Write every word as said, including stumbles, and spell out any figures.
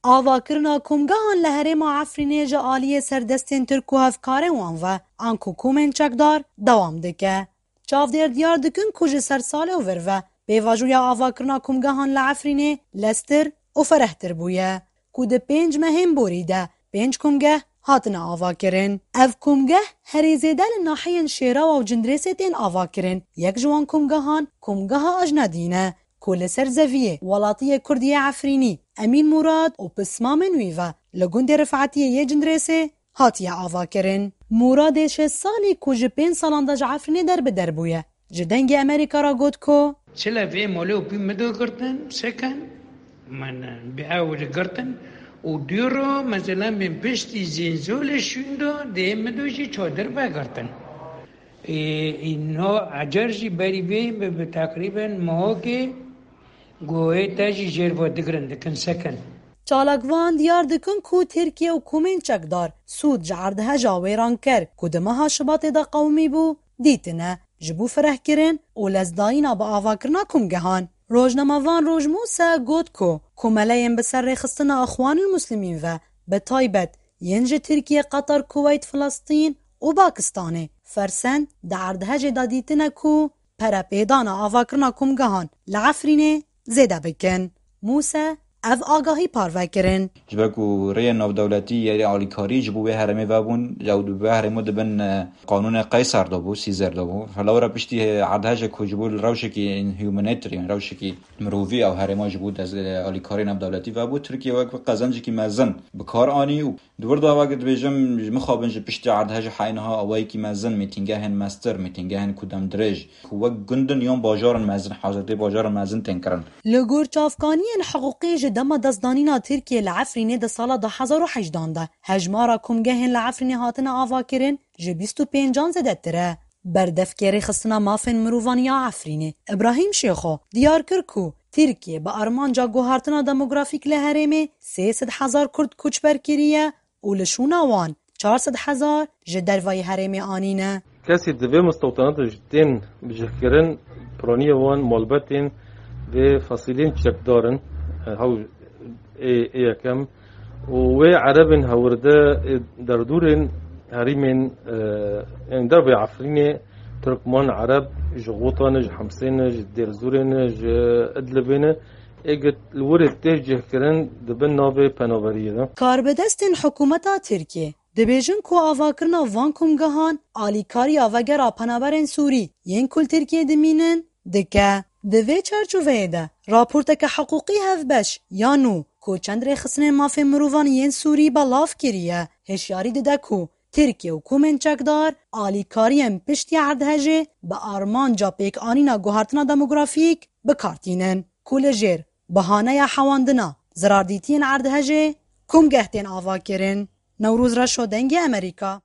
Avakirina komgehan li herêma Efrînê ji aliyê serdestên Tirk û hevkarên wan ve, anku komên çekdar, dewam dike. Çavdêr diyar dikin ku ji ser salê û vir ve pêvajoya avakirina komgehan li Efrînê lestir û ferehtir bûye, ku di pênc mehên borî de pênc komgeh hatine avakirin. Ev komgeh herî zêde li nahiyên Şêrawa û Cindirêsê tên avakirin. Yek ji wan komgehan, komgeha Ajnedî ne, ku li ser zeviyê welatiyê Kurd yê Efrînî, Emîn Murad û pismamên wî ve li gundê Rifetiyê yê Cindirêsê hatiye avakirin. Mûradê şêst salî ku ji pênc salan de ji Efrînê derbider bûye, ji Dengê Amerîka re got ku: Çile vê molê û pî min do girtin, seken, min bi ew li girtin û dûro, mezelan bin piştî zînzolê şûndo, dê min do jî çodir vegirtin. Ê, ê, no ecer jî berî vê bi, bi teqrîben mohokê goyê te jî jêr ve digirin, dikin seken. Çalakvan diyar dikin ku Tirkiye û komên çekdar sûd ji erdheja wêranker ku di meha Şibatê de qewimî bû, dîtine, ji bo ferehkirin û lezdayîna bi avakirina komgehan. Rojnamevan Roj Mûse got ku komeleyên bi ser rêxistina Ixwanil Muslimîn ve, bi taybet yên ji Tirkiye, Qatar, Kuweyt, Filistîn û Pakistanê fersend di erdhejê de dîtine ku perepêdana avakirina komgehan li Efrînê zêde bikin. Mûse ev agahî parve kirin. Ji ber ku rêyên navdewletî yê alîkarî ji bo wê herêmê vebûn, ew di vê herêmê dibin, e, qanûnê Qeyser de bû, Sîzer de bû. Lewra piştî erdhejek ku ji bo li rewşekî humanitarian, rewşekî mirovî ew herêma ji bo dest, e, alîkarî navdewletî vebû, Tirkiye wek bi qezencekî mezin bi kar anî û Di wir de, wek dibêjim, ji mixabin ji piştî erdhejê heyniha awayekî mezin, mîtîngehên mestir, mîtîngehên ku dem dirêj, ku wek gundin yan bajarin mezin, hazirtê bajarin mezin tên kirin. Li gor çavkaniyên hiqûqî, ji dema destdanîna Tirkiye li Efrînê di sala du hezar û hejdan de, hejmara komgehên li Efrînê hatine avakirin ji bîst û pêncan zêdetir e. Berdevkê Rêxistina Mafên Mirovan ya Efrînê, Îbrahîm Şêxo, diyar kir ku Tirkiye bi armanca guhartina demografîk li herêmê sê sed hezar Kurd koçber kiriye û li şûna wan çar sed hezar ji dervayî herêmê anîne. Kesî di vê mistewtana de ji tên bicihkirin, piraniyê wan malbetên vê fesîlên çekdar in, e, hew ê, ê yekem û wê erebên hewirde, ê derdûrên herîmên, e, ên dervê Efrînê, Tirkman, Ereb ji Xûta ne, ji Hemsê ne, ji Dêrzûrê ne, ji Idlibê ne, ê gi li wirê tê cihkirin dibin navê penaberiyê de. Karbidestên hikûmeta Tirkiyê dibêjin ku avakirina van komgehan alîkariya vegera penaberên Sûrî yên ku li Tirkiyê dimînin dike. Di vê çarçoveyê de, raporteke hiqûqî hevbeş ya nû ku çend rêxistinên mafên mirovan yên Sûrî belav kiriye, hişyarî dide ku Tirkiye û komên çekdar alîkariyên piştî erdhejê bi armanca pêkanîna guhertina demografîk bi kar tînin, ku li jêr bahaneya hewandina zirardîtiyên erdhejê komgeh tên avakirin. Newroz Reşo, Dengê Amerîka.